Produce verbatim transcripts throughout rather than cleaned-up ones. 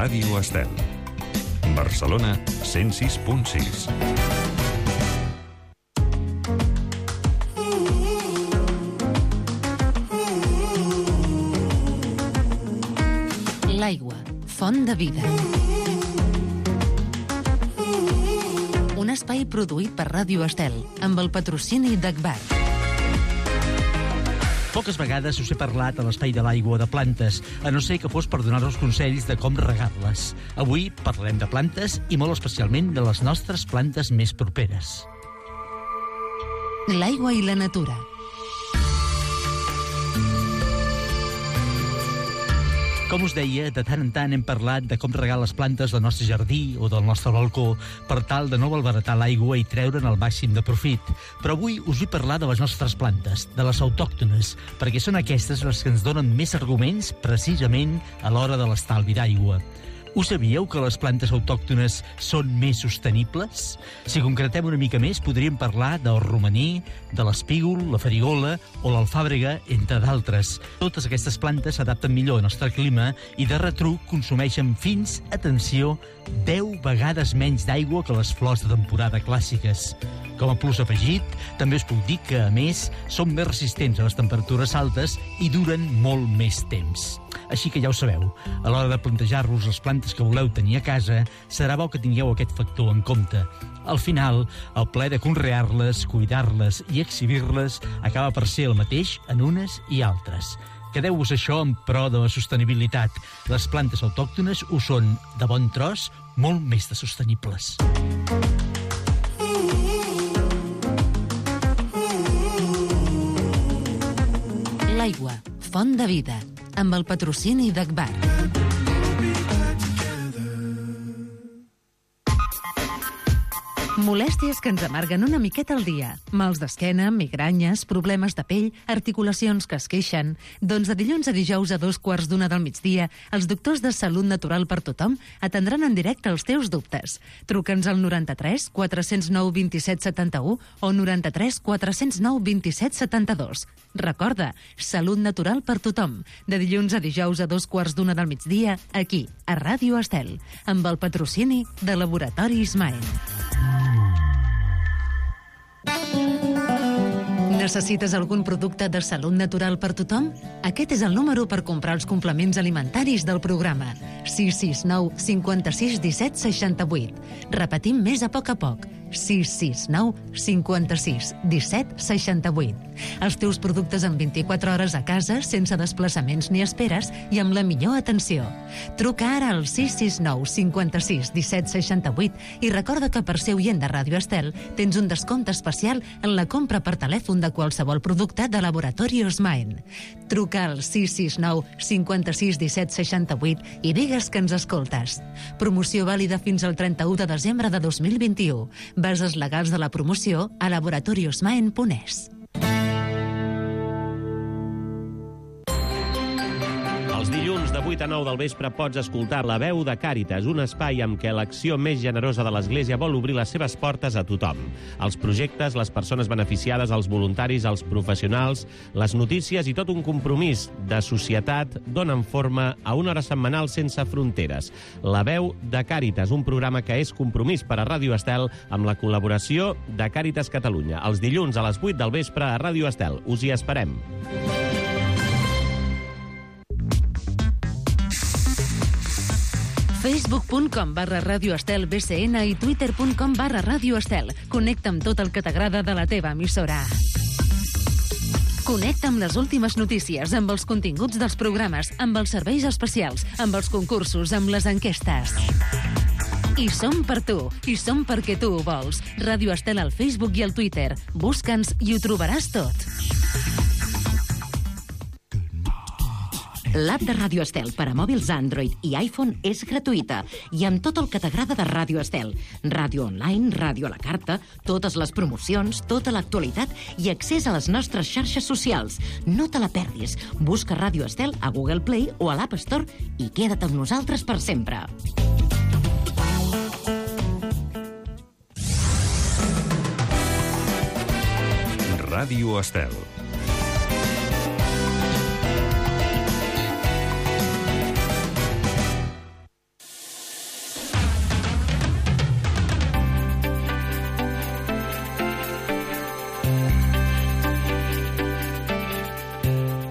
Ràdio Estel. Barcelona, cent sis punt sis. L'aigua, font de vida. Un espai produït per Ràdio Estel, amb el patrocini d'Agbar. Poques vegades us he parlat a l'espai de l'aigua de plantes, a no ser que fos per donar-vos consells de com regar-les. Avui parlarem de plantes i molt especialment de les nostres plantes més properes. L'aigua i la natura. Com us deia, de tant en tant hem parlat de com regar les plantes del nostre jardí o del nostre balcó per tal de no malbaratar l'aigua i treure'n el màxim de profit. Però avui us vull parlar de les nostres plantes, de les autòctones, perquè són aquestes les que ens donen més arguments precisament a l'hora de l'estalvi d'aigua. Us sabíeu que les plantes autòctones són més sostenibles? Si concretem una mica més, podríem parlar del romaní, de l'espígol, la farigola o l'alfàbrega, entre d'altres. Totes aquestes plantes s'adapten millor al nostre clima i de retruc consumeixen fins, atenció, deu vegades menys d'aigua que les flors de temporada clàssiques. Com a plus afegit, també us puc dir que, a més, són més resistents a les temperatures altes i duren molt més temps. Així que ja ho sabeu, a l'hora de plantejar-vos les plantes que voleu tenir a casa, serà bo que tingueu aquest factor en compte. Al final, el plaer de conrear-les, cuidar-les i exhibir-les acaba per ser el mateix en unes i altres. Quedeu-vos això en pro de la sostenibilitat. Les plantes autòctones ho són, de bon tros, molt més de sostenibles. L'aigua, font de vida, amb el patrocini d'Agbar. Molèsties que ens amarguen una miqueta al dia. Mals d'esquena, migranyes, problemes de pell, articulacions que es queixen. Doncs de dilluns a dijous a dos quarts d'una del migdia, els doctors de Salut Natural per Tothom atendran en directe els teus dubtes. Truca'ns al noranta-tres quatre zero nou vint set setanta-u o noranta-tres quatre zero nou vint set setanta-dos. Recorda, Salut Natural per Tothom. De dilluns a dijous a dos quarts d'una del migdia, aquí, a Ràdio Estel, amb el patrocini de Laboratori Ismael. Necessites algun producte de salut natural per tothom? Aquest és el número per comprar els complements alimentaris del programa. sis sis nou cinquanta-sis disset seixanta-vuit. Repetim més a poc a poc. sis sis nou cinquanta-sis disset seixanta-vuit. Els teus productes en vint-i-quatre hores a casa, sense desplaçaments ni esperes i amb la millor atenció. Truca ara al sis sis nou cinquanta-sis disset seixanta-vuit i recorda que per ser oient de Ràdio Estel tens un descompte especial en la compra per telèfon de qualsevol producte de Laboratori Osmaen. Truca al sis sis nou cinquanta-sis disset seixanta-vuit i digues que ens escoltes. Promoció vàlida fins al trenta-u de desembre de dos mil vint-i-u. Bases legals de la promoció a laboratoriosmaen punt es. Els dilluns de vuit a nou del vespre pots escoltar La Veu de Càritas, un espai amb què l'acció més generosa de l'Església vol obrir les seves portes a tothom. Els projectes, les persones beneficiades, els voluntaris, els professionals, les notícies i tot un compromís de societat donen forma a una hora setmanal sense fronteres. La Veu de Càritas, un programa que és compromís per a Ràdio Estel amb la col·laboració de Càritas Catalunya. Els dilluns a les vuit del vespre a Ràdio Estel. Us hi esperem. facebook punt com barra Ràdio Estel B C N i twitter punt com barra Ràdio Estel. Connecta amb tot el que t'agrada de la teva emissora. Connecta amb les últimes notícies, amb els continguts dels programes, amb els serveis especials, amb els concursos, amb les enquestes. I som per tu, i som perquè tu ho vols. Ràdio Estel al Facebook i al Twitter. Busca'ns i ho trobaràs tot. L'app de Ràdio Estel per a mòbils Android i iPhone és gratuïta i amb tot el que t'agrada de Ràdio Estel. Ràdio online, ràdio a la carta, totes les promocions, tota l'actualitat i accés a les nostres xarxes socials. No te la perdis. Busca Ràdio Estel a Google Play o a l'App Store i queda't amb nosaltres per sempre. Ràdio Estel.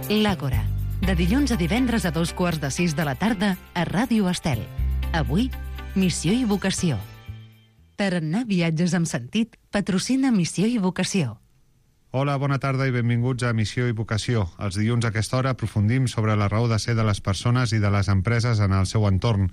L'Àgora, de dilluns a divendres a dos quarts de sis de la tarda a Ràdio Estel. Avui, Missió i Vocació. Tarannà Viatges amb Sentit patrocina Missió i Vocació. Hola, bona tarda i benvinguts a Missió i Vocació. Els dilluns a aquesta hora aprofundim sobre la raó de ser de les persones i de les empreses en el seu entorn.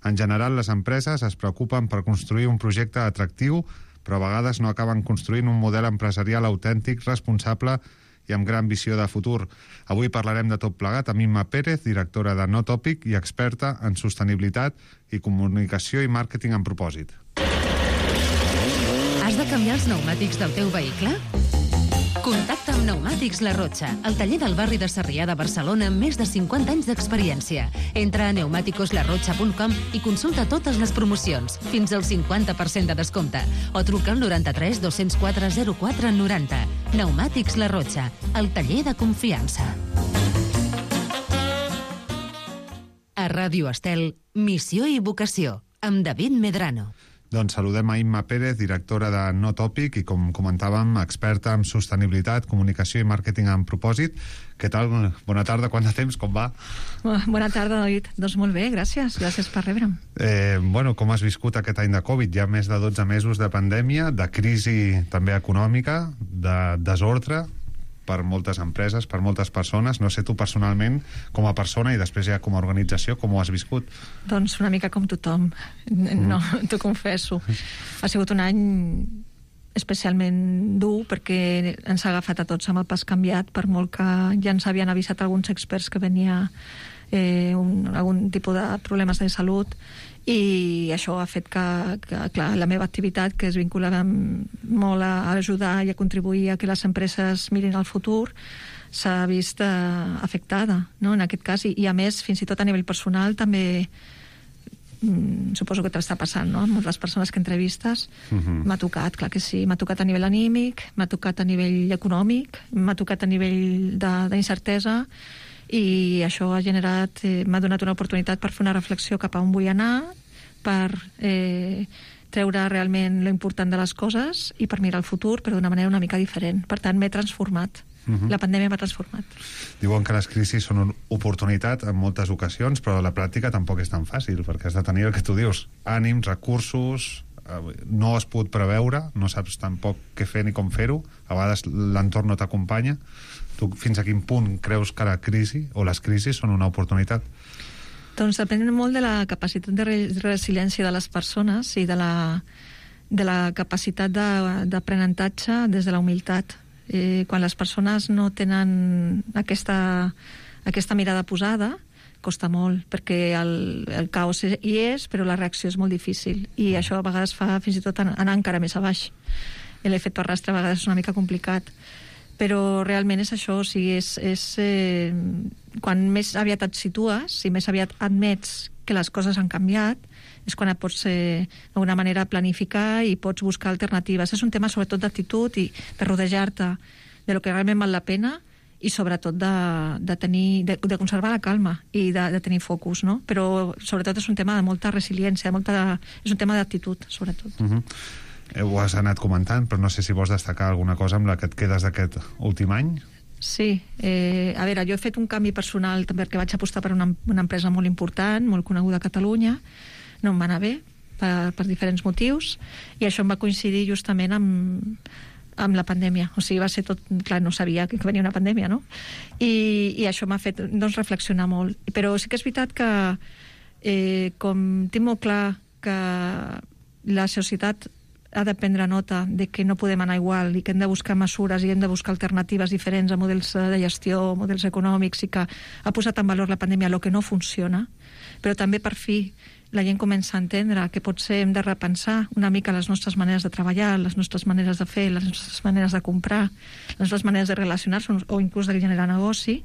En general, les empreses es preocupen per construir un projecte atractiu, però a vegades no acaben construint un model empresarial autèntic, responsable i amb gran visió de futur. Avui parlarem de tot plegat amb Imma Pérez, directora de No Tòpic i experta en sostenibilitat i comunicació i màrqueting amb propòsit. Has de canviar els pneumàtics del teu vehicle? Contacta amb Pneumàtics La Rotxa, el taller del barri de Sarrià de Barcelona amb més de cinquanta anys d'experiència. Entra a pneumáticos la rotxa punt com i consulta totes les promocions, fins al cinquanta per cent de descompte, o truca al noranta-tres dos-cents quatre zero quatre noranta. Pneumàtics La Rotxa, el taller de confiança. A Ràdio Estel, Missió i Vocació, amb David Medrano. Doncs saludem a Imma Pérez, directora de No Tòpic i, com comentàvem, experta en sostenibilitat, comunicació i màrqueting amb propòsit. Què tal? Bona tarda, quant de temps, com va? Bona tarda, David. Doncs molt bé, gràcies. Gràcies per rebre'm. Eh, bueno, com has viscut aquest any de Covid? Hi ha més de dotze mesos de pandèmia, de crisi també econòmica, de desordre per moltes empreses, per moltes persones. No sé tu personalment, com a persona i després ja com a organització, com ho has viscut? Doncs una mica com tothom. No, mm. t'ho confesso. Ha sigut un any especialment dur perquè ens ha agafat a tots amb el pas canviat, per molt que ja ens havien avisat alguns experts que venia eh, un, algun tipus de problemes de salut, i això ha fet que, que clar, la meva activitat, que es vinculava molt a ajudar i a contribuir a que les empreses mirin al futur, s'ha vist eh, afectada, no?, en aquest cas, i, i a més, fins i tot a nivell personal també mm, suposo que t'està passant, no?, amb les persones que entrevistes. Uh-huh. M'ha tocat, clar que sí, m'ha tocat a nivell anímic, m'ha tocat a nivell econòmic, m'ha tocat a nivell d'incertesa, i això ha generat, eh, m'ha donat una oportunitat per fer una reflexió cap a on vull anar, per eh, treure realment lo important de les coses i per mirar el futur, però d'una manera una mica diferent. Per tant, m'he transformat. Uh-huh. La pandèmia m'ha transformat. Diuen que les crisis són una oportunitat en moltes ocasions, però la pràctica tampoc és tan fàcil, perquè has de tenir el que tu dius, ànims, recursos, no has pogut preveure, no saps tampoc què fer ni com fer-ho, a vegades l'entorn no t'acompanya. Tu fins a quin punt creus que la crisi o les crisis són una oportunitat? Doncs depèn molt de la capacitat de resiliència de les persones i de la, de la capacitat d'aprenentatge des de la humilitat. Eh, quan les persones no tenen aquesta, aquesta mirada posada, costa molt, perquè el, el caos hi és, però la reacció és molt difícil, i això a vegades fa fins i tot anar encara més a baix. L'efecte arrastre a vegades és una mica complicat, però realment és això, o sigui, és, és eh, quan més aviat et situes i més aviat admets que les coses han canviat, és quan et pots eh, d'alguna manera planificar i pots buscar alternatives. És un tema sobretot d'actitud i de rodejar-te de lo que realment val la pena, i sobretot de, de, tenir, de, de conservar la calma i de, de tenir focus, no? Però sobretot és un tema de molta resiliència, de molta, és un tema d'actitud, sobretot. Uh-huh. Ho has anat comentant, però no sé si vols destacar alguna cosa amb la que et quedes d'aquest últim any. Sí, eh, a veure, jo he fet un canvi personal també perquè vaig apostar per una, una empresa molt important, molt coneguda a Catalunya, no em va anar bé per, per diferents motius, i això em va coincidir justament amb, amb la pandèmia. O sigui, va ser tot... Clar, no sabia que venia una pandèmia, no? I, i això m'ha fet, doncs, reflexionar molt. Però sí que és veritat que eh, com tinc molt clar que la societat ha de prendre nota de que no podem anar igual i que hem de buscar mesures i hem de buscar alternatives diferents a models de gestió, models econòmics, i que ha posat en valor la pandèmia el que no funciona, però també per fi la gent comença a entendre que potser hem de repensar una mica les nostres maneres de treballar, les nostres maneres de fer, les nostres maneres de comprar, les nostres maneres de relacionar-se o inclús de generar negoci.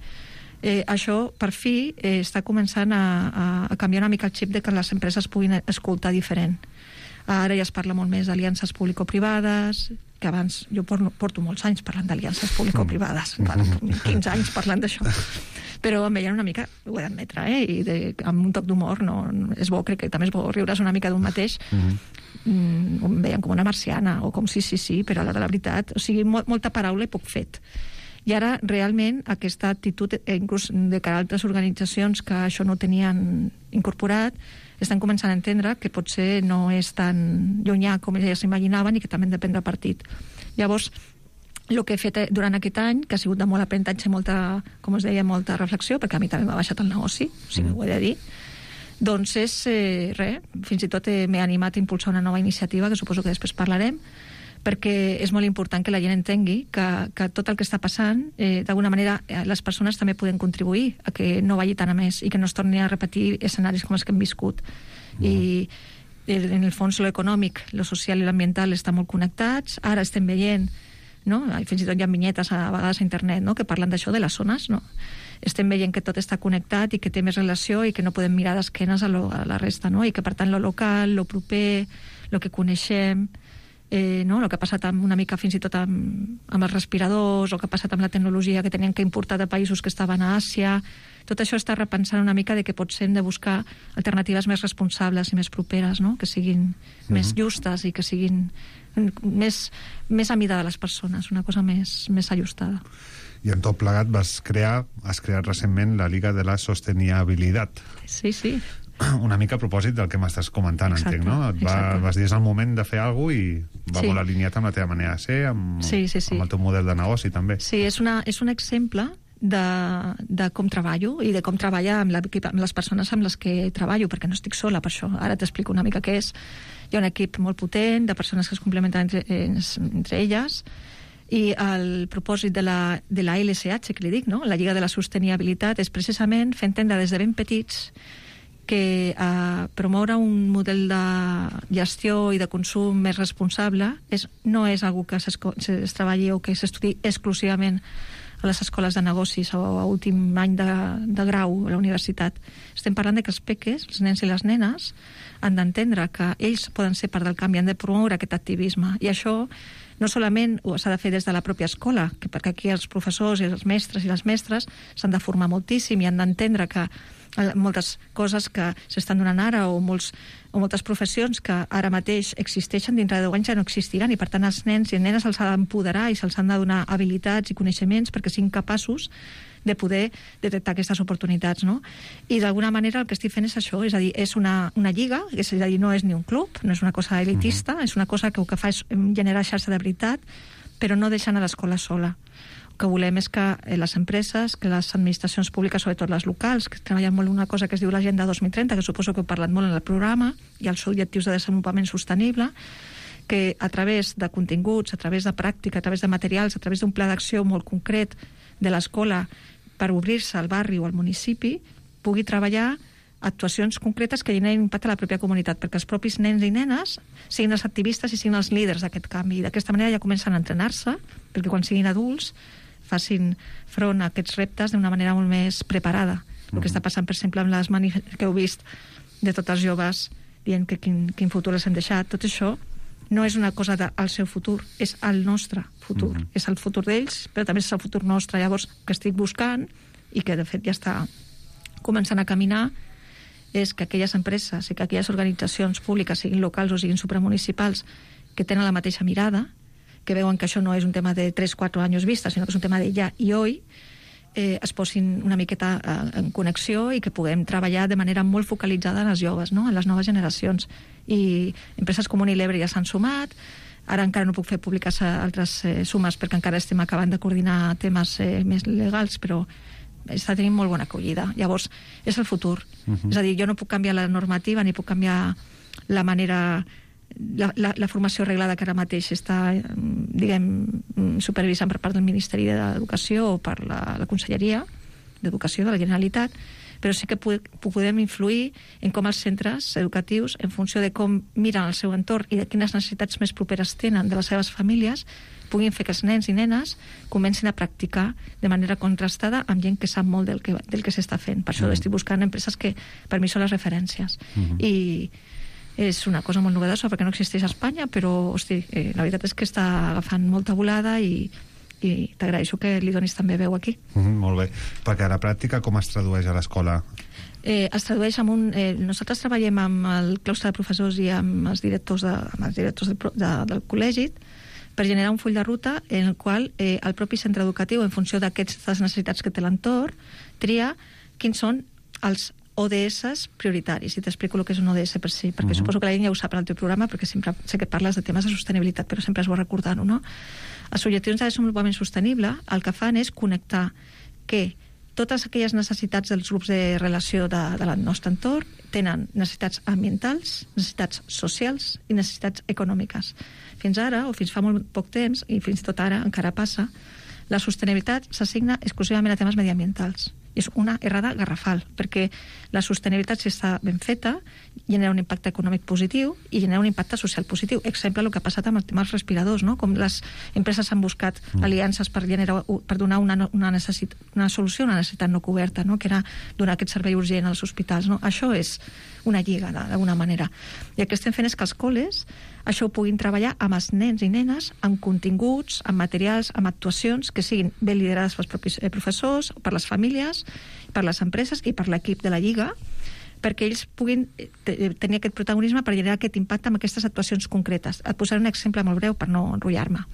Eh, això, per fi, eh, està començant a, a, a canviar una mica el xip de que les empreses puguin escoltar diferent. Ara ja es parla molt més d'aliances público-privades, que abans, jo porto, porto molts anys parlant d'aliances público-privades, quinze anys parlant d'això, però em veien una mica, ho he d'admetre, eh, i de, amb un toc d'humor, no, és bo, crec que també és bo riure's una mica d'un mateix, mm-hmm. mm, em veien com una marciana, o com sí, sí, sí, però a l'hora de la veritat, o sigui, mo- molta paraula i poc fet. I ara, realment, aquesta actitud, inclús de cara a altres organitzacions que això no tenien incorporat, estan començant a entendre que potser no és tan llunyà com elles s'imaginaven i que també han de prendre partit. Llavors, el que he fet durant aquest any, que ha sigut de molt aprenentatge, molta, com us deia, molta reflexió, perquè a mi també m'ha baixat el negoci, o sigui, mm. ho he de dir, doncs és, eh, res, fins i tot eh, m'he animat a impulsar una nova iniciativa, que suposo que després parlarem, perquè és molt important que la gent entengui que, que tot el que està passant, eh, d'alguna manera, les persones també poden contribuir a que no vagi tan a més i que no es torni a repetir escenaris com els que hem viscut. Mm. I en el fons, lo econòmic, lo social i l'ambiental estan molt connectats. Ara estem veient, no? Fins i tot hi ha vinyetes a vegades a internet, no? Que parlen d'això, de les zones, no? Estem veient que tot està connectat i que té més relació i que no podem mirar d'esquenes a, lo, a la resta, no? I que, per tant, lo local, lo proper, lo que coneixem, eh, no? El que ha passat amb, una mica fins i tot amb, amb els respiradors, o que ha passat amb la tecnologia que tenien que importar de països que estaven a Àsia, tot això està repensant una mica de que potser hem de buscar alternatives més responsables i més properes, no? Que siguin mm-hmm. més justes i que siguin més, més a mida de les persones, una cosa més, més ajustada. I en tot plegat vas crear, has creat recentment la Liga de la Sostenibilitat. Sí, sí. Una mica a propòsit del que m'estàs comentant, exacte, entenc, no? Et va, vas dir és el moment de fer alguna cosa i va sí. molt alineat amb la teva manera de ser, amb, sí, sí, sí. amb el teu model de negoci, també. Sí, és, una, és un exemple de, de com treballo i de com treballar amb, amb les persones amb les que treballo, perquè no estic sola per això. Ara t'explico una mica què és. Hi ha un equip molt potent de persones que es complementen entre, entre elles, i el propòsit de la, de la L S H, que li dic, no? La Lliga de la Sostenibilitat, és precisament fer entendre des de ben petits que eh, promoure un model de gestió i de consum més responsable és, no és algo que es treballi o que s'estudi exclusivament a les escoles de negocis o a últim any de, de grau a la universitat. Estem parlant de que els peques, els nens i les nenes, han d'entendre que ells poden ser part del canvi, han de promoure aquest activisme. I això no solament s'ha de fer des de la pròpia escola, que perquè aquí els professors i els mestres i les mestres s'han de formar moltíssim i han d'entendre que moltes coses que s'estan donant ara o, molts, o moltes professions que ara mateix existeixen dintre de deu anys ja no existiran, i per tant els nens i nenes se'ls ha d'empoderar i se'ls han de donar habilitats i coneixements perquè siguin capaços de poder detectar aquestes oportunitats, no? I d'alguna manera el que estic fent és això, és a dir, és una, una lliga, és a dir, no és ni un club, no és una cosa elitista, uh-huh. és una cosa que el que fa és generar xarxa de veritat, però no deixant a l'escola sola. El que volem és que les empreses, que les administracions públiques, sobretot les locals, que treballen molt una cosa que es diu l'Agenda dos mil trenta, que suposo que heu parlat molt en el programa, i els objectius de desenvolupament sostenible, que a través de continguts, a través de pràctica, a través de materials, a través d'un pla d'acció molt concret de l'escola per obrir-se al barri o al municipi, pugui treballar actuacions concretes que generen impacte a la pròpia comunitat, perquè els propis nens i nenes siguin els activistes i siguin els líders d'aquest canvi. I d'aquesta manera ja comencen a entrenar-se, perquè quan siguin adults facin front a aquests reptes d'una manera molt més preparada. Mm-hmm. El que està passant, per exemple, amb les manifestacions que heu vist de tots els joves dient que quin, quin futur els hem deixat, tot això no és una cosa del seu futur, és el nostre futur. Mm-hmm. És el futur d'ells, però també és el futur nostre. Llavors, que estic buscant, i que de fet ja està començant a caminar, és que aquelles empreses i que aquelles organitzacions públiques, siguin locals o siguin supramunicipals, que tenen la mateixa mirada, que veuen que això no és un tema de tres o quatre anys vista, sinó que és un tema de ja i hoy, eh, es posin una miqueta eh, en connexió i que puguem treballar de manera molt focalitzada en els joves, no? En les noves generacions. I empreses com Unilever ja s'han sumat, ara encara no puc fer públiques altres eh, sumes perquè encara estem acabant de coordinar temes eh, més legals, però està tenint molt bona acollida. Llavors, és el futur. Uh-huh. És a dir, jo no puc canviar la normativa ni puc canviar la manera, la, la, la formació reglada que ara mateix està, diguem, supervisant per part del Ministeri d'Educació o per la, la Conselleria d'Educació de la Generalitat, però sí que podem influir en com els centres educatius, en funció de com miren el seu entorn i de quines necessitats més properes tenen de les seves famílies, puguin fer que els nens i nenes comencin a practicar de manera contrastada amb gent que sap molt del que, del que s'està fent. Per això mm. estic buscant empreses que per mi són les referències. Mm-hmm. I és una cosa molt novedosa perquè no existeix a Espanya, però hosti, eh, la veritat és que està agafant molta volada i, i t'agraeixo que li donis també veu aquí. Mm, molt bé. Perquè a la pràctica com es tradueix a l'escola? Eh, es tradueix amb un... Eh, nosaltres treballem amb el claustre de professors i amb els directors, de, amb els directors de, de, del col·legi, per generar un full de ruta en el qual eh, el propi centre educatiu, en funció d'aquestes necessitats que té l'entorn, tria quins són els O D S prioritaris. I t'explico el que és un O D S per si, perquè uh-huh. suposo que la gent ja ho sap en el teu programa, perquè sempre sé que parles de temes de sostenibilitat, però sempre és bo recordar-ho, no? Els objectius de desenvolupament sostenible el que fan és connectar que totes aquelles necessitats dels grups de relació de, de del nostre entorn tenen necessitats ambientals, necessitats socials i necessitats econòmiques. Fins ara, o fins fa molt poc temps, i fins tot ara encara passa, la sostenibilitat s'assigna exclusivament a temes mediambientals. És una errada garrafal, perquè la sostenibilitat, si està ben feta, genera un impacte econòmic positiu i genera un impacte social positiu. Exemple, el que ha passat amb el tema dels respiradors, no? Com les empreses han buscat mm. aliances per, generar, per donar una, una, necessit, una solució a una necessitat no coberta, no? Que era donar aquest servei urgent als hospitals. No? Això és una lliga, d'alguna manera. I el que estem fent és que els col·les això ho puguin treballar amb els nens i nenes, amb continguts, amb materials, amb actuacions que siguin ben liderades pels propis professors, per les famílies, per les empreses i per l'equip de la Lliga, perquè ells puguin tenir aquest protagonisme per generar aquest impacte amb aquestes actuacions concretes. Et posaré un exemple molt breu per no enrotllar-me.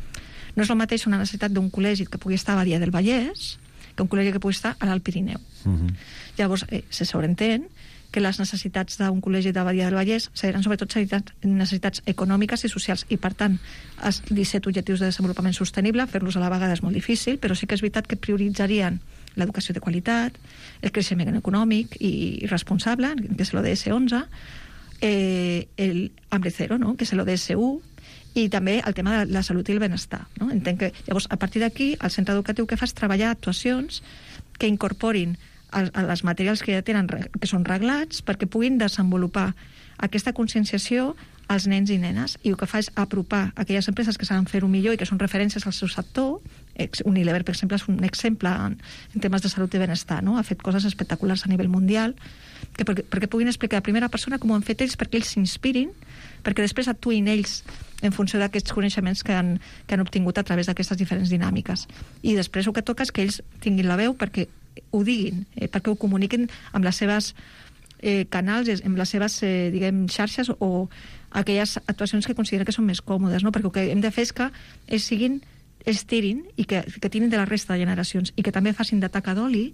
No és el mateix una necessitat d'un col·legi que pugui estar a Badia del Vallès que un col·legi que pugui estar a l'Alt Pirineu. Uh-huh. Llavors, eh, se sobreentén que les necessitats d'un col·legi de Badia del Vallès seran sobretot necessitats econòmiques i socials, i per tant els disset objectius de desenvolupament sostenible fer-los a la vegada és molt difícil, però sí que és veritat que prioritzarien l'educació de qualitat, el creixement econòmic i responsable, que és l'O D S onze, eh, el hambre zero, no? Que és l'O D S u, i també el tema de la salut i el benestar. No? Entenc que, llavors, a partir d'aquí, el centre educatiu que fa és treballar actuacions que incorporin els materials que ja tenen, que són reglats, perquè puguin desenvolupar aquesta conscienciació als nens i nenes, i el que fa és apropar aquelles empreses que saben fer-ho millor i que són referències al seu sector. Unilever, per exemple, és un exemple en, en temes de salut i benestar, no? Ha fet coses espectaculars a nivell mundial, que perquè, perquè puguin explicar a primera persona com ho han fet ells, perquè ells s'inspirin, perquè després actuïn ells en funció d'aquests coneixements que han, que han obtingut a través d'aquestes diferents dinàmiques. I després el que toca és que ells tinguin la veu perquè ho diguin, eh, perquè ho comuniquin amb les seves eh, canals, amb les seves eh, diguem, xarxes o aquelles actuacions que consideren que són més còmodes, no? Perquè el que hem de fer és que ells siguin, ells tirin i que, que tirin de la resta de generacions i que també facin de taca d'oli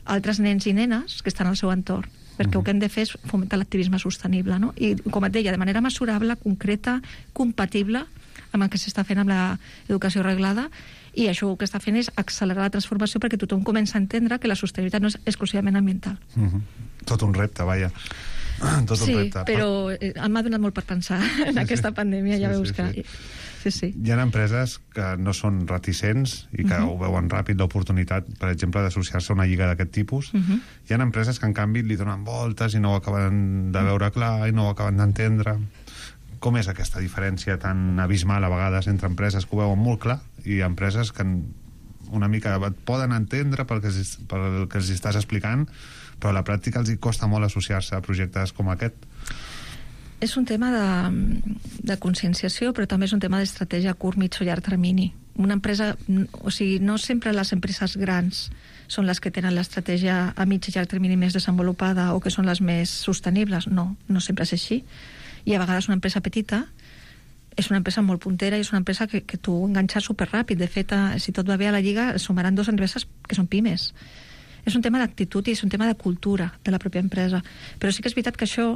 altres nens i nenes que estan al seu entorn, perquè uh-huh. el que hem de fer és fomentar l'activisme sostenible, no? I com et deia, de manera mesurable, concreta, compatible amb el que s'està fent amb l'educació reglada. I això el que està fent és accelerar la transformació perquè tothom comença a entendre que la sostenibilitat no és exclusivament ambiental. Uh-huh. Tot un repte, vaja. Tot sí, un repte. però eh, m'ha donat molt per pensar en sí, aquesta sí. pandèmia, ja sí, veus sí, que... Sí. Sí, sí. Hi ha empreses que no són reticents i que uh-huh. ho veuen ràpid, l'oportunitat, per exemple, d'associar-se a una lliga d'aquest tipus. Uh-huh. Hi ha empreses que, en canvi, li donen voltes i no ho acaben de veure clar i no ho acaben d'entendre. Com és aquesta diferència tan abismal a vegades entre empreses que ho veuen molt clar i empreses que una mica et poden entendre pel que, pel que els estàs explicant, però a la pràctica els hi costa molt associar-se a projectes com aquest? És un tema de, de conscienciació, però també és un tema d'estratègia a curt, mig o llarg termini. Una empresa, o sigui, no sempre les empreses grans són les que tenen l'estratègia a mig i llarg termini més desenvolupada o que són les més sostenibles. No, no sempre és així. I a vegades una empresa petita és una empresa molt puntera i és una empresa que, que tu enganxar superràpid. De fet, si tot va bé a la Lliga, sumaran dues empreses que són pimes. És un tema d'actitud i és un tema de cultura de la pròpia empresa. Però sí que és veritat que això...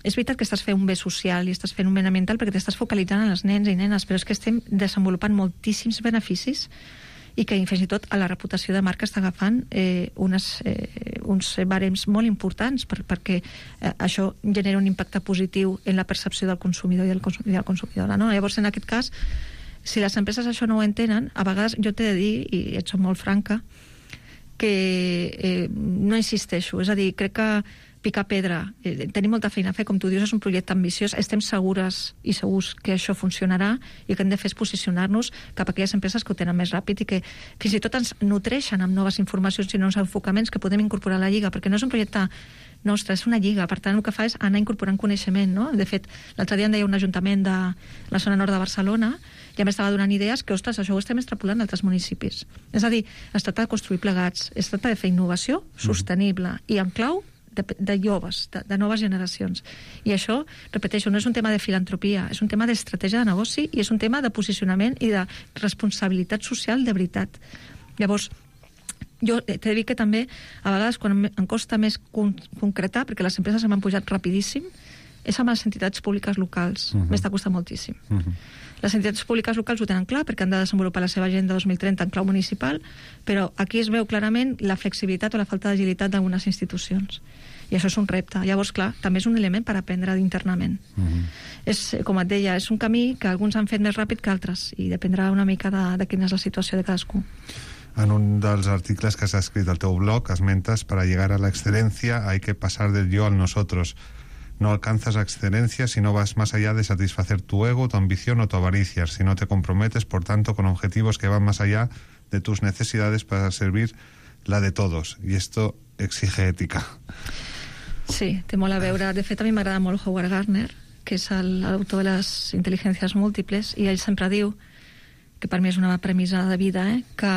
És veritat que estàs fent un bé social i estàs fent un bé ambiental perquè t'estàs focalitzant en els nens i nenes, però és que estem desenvolupant moltíssims beneficis i que fins i tot a la reputació de marca està agafant eh, unes, eh, uns barems molt importants per, perquè eh, això genera un impacte positiu en la percepció del consumidor i del consum, i de la consumidora, no? Llavors, en aquest cas, si les empreses això no ho entenen, a vegades jo t'he de dir, i et soc molt franca, que eh, no insisteixo. És a dir, crec que picar pedra, eh, tenim molta feina a fer, com tu dius, és un projecte ambiciós, estem segures i segurs que això funcionarà i el que hem de fer és posicionar-nos cap a aquelles empreses que ho tenen més ràpid i que fins i tot ens nutreixen amb noves informacions i nous enfocaments que podem incorporar a la Lliga, perquè no és un projecte nostre, és una lliga, per tant el que fa és anar incorporant coneixement, no? De fet, l'altre dia em deia un ajuntament de la zona nord de Barcelona, ja m'estava donant idees que, ostres, això ho estem extrapolant a altres municipis. És a dir, es tracta de construir plegats, es tracta de fer innovació sostenible i en clau de, de joves, de, de noves generacions. I això, repeteixo, no és un tema de filantropia, és un tema d'estratègia de negoci i és un tema de posicionament i de responsabilitat social de veritat. Llavors, jo t'he de dir que també, a vegades, quan em costa més con concretar, perquè les empreses m'han pujat rapidíssim, és amb les entitats públiques locals. Uh-huh. M'està costant moltíssim. Uh-huh. Les entitats públiques locals ho tenen clar perquè han de desenvolupar la seva agenda dos mil trenta en clau municipal, però aquí es veu clarament la flexibilitat o la falta d'agilitat d'algunes institucions. I això és un repte. Llavors, clar, també és un element per aprendre internament. Uh-huh. És, com et deia, és un camí que alguns han fet més ràpid que altres i dependrà una mica de, de quina és la situació de cadascú. En un dels articles que has escrit al teu blog esmentes: para llegar a la excelencia hay que pasar del yo al nosotros. No alcanzas la excelencia si no vas más allá de satisfacer tu ego, tu ambición o tu avaricia, si no te comprometes, por tanto, con objetivos que van más allá de tus necesidades para servir la de todos. Y esto exige ética. Sí, té molt a veure. De fet, a mi m'agrada molt Howard Gardner, que és l'autor de les intel·ligències múltiples, i ell sempre diu, que per mi és una premissa de vida, eh, que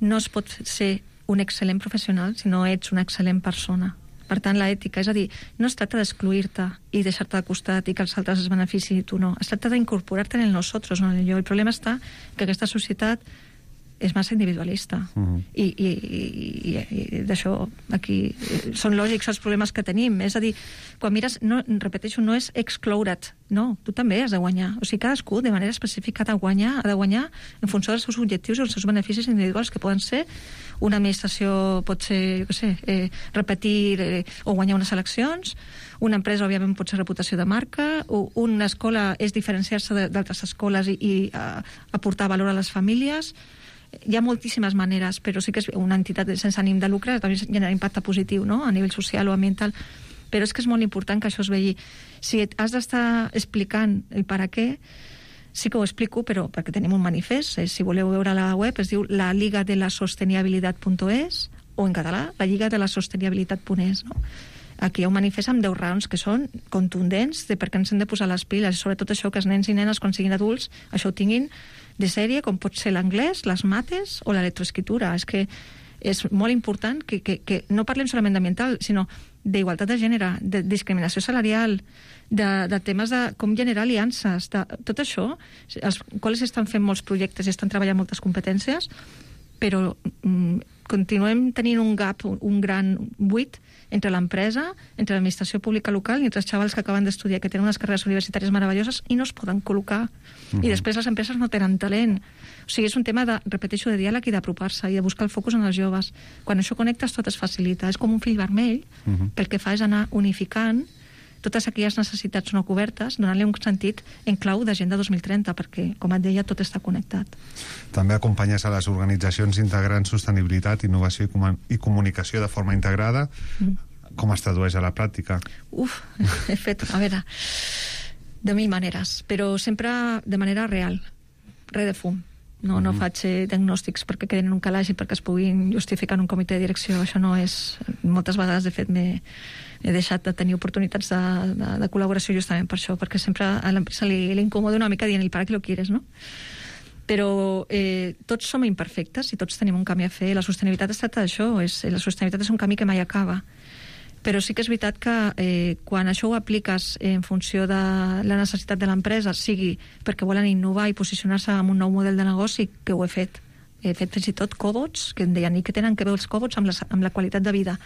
no es pot ser un excel·lent professional si no ets una excel·lent persona. Per tant, l'ètica, és a dir, no es tracta d'excluir-te i deixar-te de costat i que els altres es beneficin i tu no. Es tracta d'incorporar-te en el nosotros, no en el yo. El problema està que aquesta societat és massa individualista. Uh-huh. I, i, i, i d'això aquí són lògics els problemes que tenim. És a dir, quan mires, no, repeteixo, no és excloure't, no, tu també has de guanyar. O sigui, cadascú de manera específica ha de guanyar, ha de guanyar en funció dels seus objectius i els seus beneficis individuals, que poden ser una administració, pot ser, jo què sé, eh, repetir eh, o guanyar unes eleccions, una empresa, òbviament, pot ser reputació de marca, o una escola és diferenciar-se d'altres escoles i, i a, aportar valor a les famílies. Hi ha moltíssimes maneres, però sí que és una entitat sense ànim de lucre, també genera impacte positiu, no?, a nivell social o ambiental. Però és que és molt important que això es vegi. Si has d'estar explicant el per a què, sí que ho explico, però perquè tenim un manifest, eh, si voleu veure a la web, es diu la liga de la sostenibilitat punt es, o en català, la lliga de la sostenibilitat punt es, no? Aquí hi ha un manifest amb deu raons que són contundents de per què ens hem de posar les piles, sobretot això que els nens i nenes, quan siguin adults, això ho tinguin de sèrie, com pot ser l'anglès, les mates o l'electroescritura. És que és molt important que, que, que no parlem solament d'ambiental, sinó d'igualtat de gènere, de discriminació salarial, de, de temes de com generar aliances, de tot això, els quals estan fent molts projectes i estan treballant moltes competències, però mm, continuem tenint un gap, un, un gran buit entre l'empresa, entre l'administració pública local i entre els xavals que acaben d'estudiar, que tenen unes carreres universitàries meravelloses i no es poden col·locar. Uh-huh. I després les empreses no tenen talent. O sigui, és un tema, de, repeteixo, de diàleg i d'apropar-se i de buscar el focus en els joves. Quan això connectes, tot es facilita. És com un fill vermell, uh-huh, que el que fa és anar unificant totes aquelles necessitats no cobertes, donant-li un sentit en clau d'Agenda dos mil trenta, perquè, com et deia, tot està connectat. També acompanyes a les organitzacions integrant sostenibilitat, innovació i, com i comunicació de forma integrada. Mm. Com es tradueix a la pràctica? Uf, he fet, a veure, de mil maneres, però sempre de manera real, res de fum. No, no faig eh, diagnòstics perquè quedin en un calaix i perquè es puguin justificar en un comitè de direcció. Això no és... Moltes vegades, de fet, m'he he deixat de tenir oportunitats de, de, de col·laboració justament per això, perquè sempre a l'empresa li, li incomoda una mica dient, ¿y para qué lo quieres?, no? Però eh, tots som imperfectes i tots tenim un camí a fer. La sostenibilitat es tracta d'això. És, la sostenibilitat és un camí que mai acaba. Però sí que és veritat que eh, quan això ho apliques en funció de la necessitat de l'empresa, sigui perquè volen innovar i posicionar-se en un nou model de negoci, que ho he fet. He fet fins i tot cobots, que em deien, i que tenen que veure els cobots amb la, amb la qualitat de vida.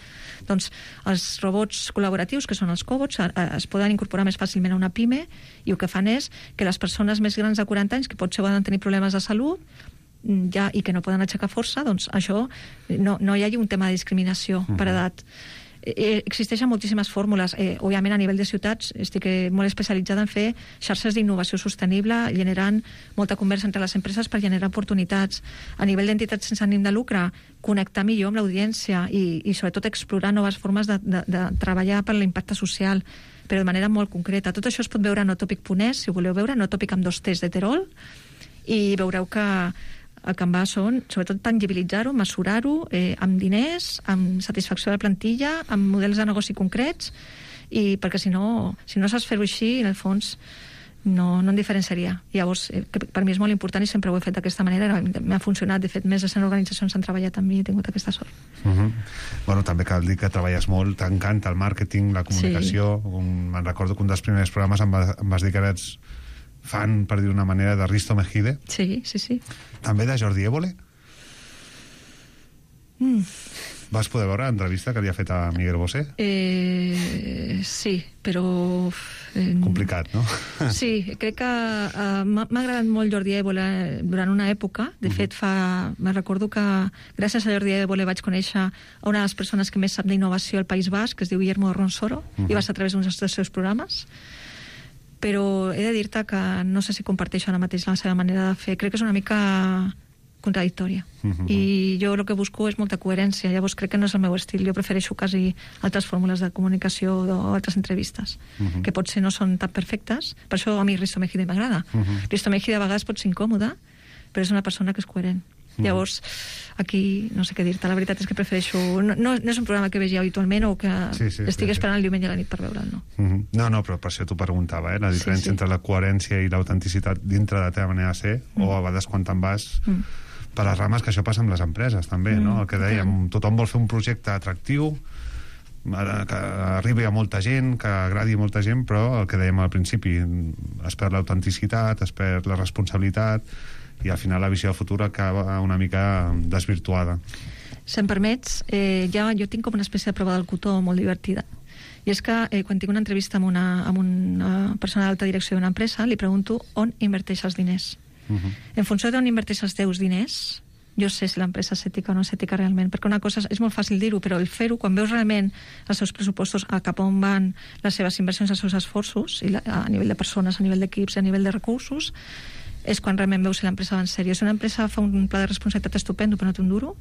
Doncs els robots col·laboratius, que són els cobots, es poden incorporar més fàcilment a una pime, i el que fan és que les persones més grans de quaranta anys, que potser poden tenir problemes de salut, ja, i que no poden aixecar força, doncs això no, no hi hagi un tema de discriminació uh-huh. per edat. Eh, existeixen moltíssimes fórmules. Eh, òbviament, a nivell de ciutats, estic eh, molt especialitzada en fer xarxes d'innovació sostenible, generant molta conversa entre les empreses per generar oportunitats. A nivell d'entitats sense ànim de lucre, connectar millor amb l'audiència i, i sobretot explorar noves formes de, de, de treballar per l'impacte social, però de manera molt concreta. Tot això es pot veure a notopic punt es, si ho voleu veure, notopic amb dos T's de Terol, i veureu que el que em va són, sobretot, tangibilitzar-ho, mesurar-ho, eh, amb diners, amb satisfacció de la plantilla, amb models de negoci concrets, i perquè si no, si no saps fer-ho així, en el fons, no, no en diferenciaria. Llavors, eh, per mi és molt important i sempre ho he fet d'aquesta manera. M'ha funcionat, de fet, més de cent organitzacions han treballat amb mi i he tingut aquesta sort. Uh -huh. Bueno, també cal dir que treballes molt, t'encanta el màrqueting, la comunicació. Sí. Un, me'n recordo que un dels primers programes em, va, em vas dir que eres fan, per dir una manera, de Risto Mejide. Sí, sí, sí. També de Jordi Évole. Mm. Vas poder veure l'entrevista que li ha fet a Miguel Bosé? Eh, sí, però... Eh, Complicat, no? Sí, crec que uh, m'ha agradat molt Jordi Évole durant una època. De uh -huh. fet, fa, me recordo que gràcies a Jordi Évole vaig conèixer a una de les persones que més sap d'innovació al País Basc, que es diu Guillermo Ronsoro, uh -huh. i va ser a través d'un dels seus programes. Però he de dir-te que no sé si comparteixo ara mateix la seva manera de fer. Crec que és una mica contradictòria. Uh-huh. I jo el que busco és molta coherència. Llavors crec que no és el meu estil. Jo prefereixo quasi altres fórmules de comunicació o altres entrevistes, uh-huh. que potser no són tan perfectes. Per això a mi Risto Mejide m'agrada. Uh-huh. Risto Mejide a vegades pot ser incòmode, però és una persona que és coherent. Uh-huh. Llavors, aquí no sé què dir-te. La veritat és que prefereixo... No, no, no és un programa que vegi habitualment o que sí, sí, estigui sí, esperant sí. el diumenge a la nit per veure'l, no. Uh-huh. No, no, però per això t'ho preguntava, eh? La diferència sí, sí. entre la coherència i l'autenticitat dintre de la teva manera de ser, uh-huh. o a vegades quan te'n vas... Uh-huh. per les rames, que això passa amb les empreses també, mm, no? El que dèiem, tothom vol fer un projecte atractiu, que arribi a molta gent, que agradi a molta gent, però el que dèiem al principi, es perd l'autenticitat, es perd la responsabilitat, i al final la visió de futur acaba una mica desvirtuada. Si em permets, eh, ja jo tinc com una espècie de prova del cotó molt divertida. I és que eh, quan tinc una entrevista amb una, amb una persona d'alta direcció d'una empresa, li pregunto on inverteix els diners. Uh-huh. En funció d'on inverteix els teus diners, jo sé si l'empresa és ètica o no és ètica realment, perquè una cosa és, és molt fàcil dir-ho, però el fer-ho, quan veus realment els seus pressupostos a cap on van les seves inversions, els seus esforços, i la, a nivell de persones, a nivell d'equips, a nivell de recursos, és quan realment veus si l'empresa va en sèrio. Si una empresa fa un pla de responsabilitat estupendo però no té un duro,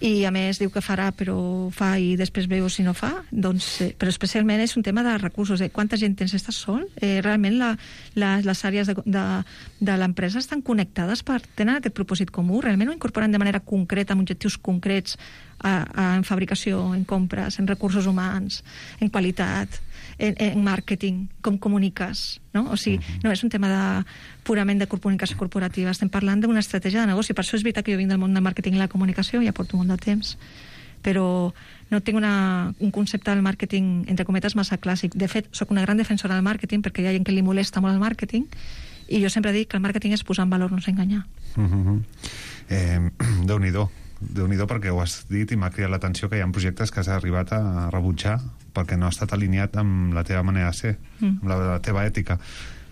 i a més diu que farà però fa i després veu si no fa, doncs, eh, però especialment és un tema de recursos, eh? Quanta gent tens, estàs sol? Eh, realment la, la, les àrees de, de, de l'empresa estan connectades per tenen aquest propòsit comú, realment ho incorporen de manera concreta, amb objectius concrets a, a, en fabricació, en compres, en recursos humans, en qualitat, en, en màrqueting, com comuniques, no? O sigui, no és un tema de, purament de comunicació corporativa, estem parlant d'una estratègia de negoci. Per això és veritat que jo vinc del món del màrqueting i la comunicació, ja porto molt de temps, però no tinc una, un concepte del màrqueting, entre cometes, massa clàssic. De fet, sóc una gran defensora del màrqueting perquè hi ha gent que li molesta molt el màrqueting, i jo sempre dic que el màrqueting és posar en valor, no és enganyar. Uh-huh. eh, Déu-n'hi-do. Déu-n'hi-do, perquè ho has dit i m'ha cridat l'atenció que hi ha projectes que has arribat a rebutjar perquè no ha estat alineat amb la teva manera de ser, mm. amb la, la teva ètica.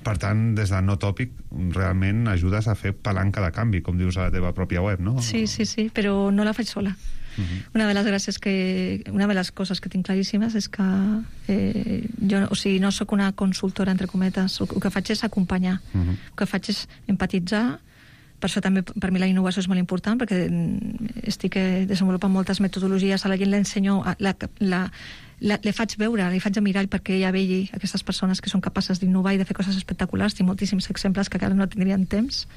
Per tant, des de no tòpic, realment ajudes a fer palanca de canvi, com dius a la teva pròpia web, no? Sí, sí, sí, però no la faig sola. Uh-huh. Una de les gràcies que... Una de les coses que tinc claríssimes és que eh, jo, o sigui, no sóc una consultora, entre cometes. El que faig és acompanyar. Uh-huh. El que faig és empatitzar. Per això també per mi la innovació és molt important, perquè estic desenvolupant moltes metodologies, a la gent l'ensenyo, la, la, la, le faig veure, li faig mirar perquè ella vegi aquestes persones que són capaces d'innovar i de fer coses espectaculars. Tinc moltíssims exemples que encara no tindrien temps.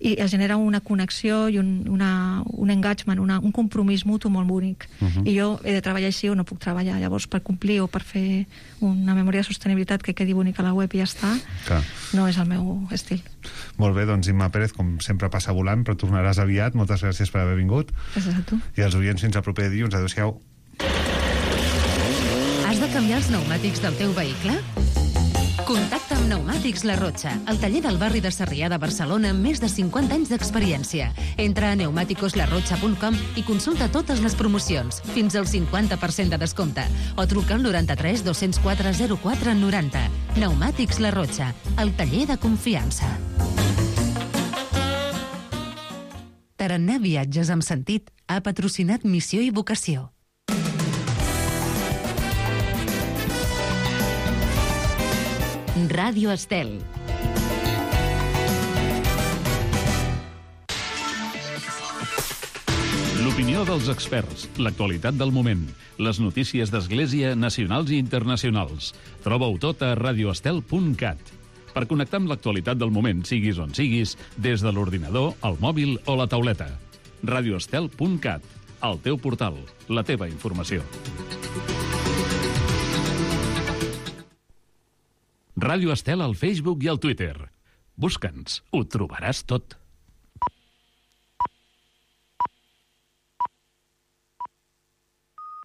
I es genera una connexió i un, una, un engagement, una, un compromís mutu molt bonic. Uh-huh. I jo he de treballar així o no puc treballar. Llavors, per complir o per fer una memòria de sostenibilitat que quedi bonica a la web i ja està, clar, no és el meu estil. Molt bé, doncs Imma Pérez, com sempre passa volant, però tornaràs aviat. Moltes gràcies per haver vingut. Gràcies a tu. I als oients fins al proper dilluns. Adéu-siau. Has de canviar els pneumàtics del teu vehicle? Contacta amb Pneumàtics La Rotxa, el taller del barri de Sarrià de Barcelona amb més de cinquanta anys d'experiència. Entra a pneumáticos la rotxa punt com i consulta totes les promocions, fins al cinquanta per cent de descompte, o truca al noranta-tres dos-cents quatre zero quatre noranta. Pneumàtics La Rotxa, el taller de confiança. Tarannà Viatges amb Sentit ha patrocinat Missió i Vocació. Ràdio Estel. L'opinió dels experts, l'actualitat del moment, les notícies d'Església nacionals i internacionals. Troba-ho tot a radio estel punt cat. Per connectar amb l'actualitat del moment, siguis on siguis, des de l'ordinador, el mòbil o la tauleta. radio estel punt cat, el teu portal, la teva informació. Ràdio Estel al Facebook i al Twitter. Busca'ns, ho trobaràs tot.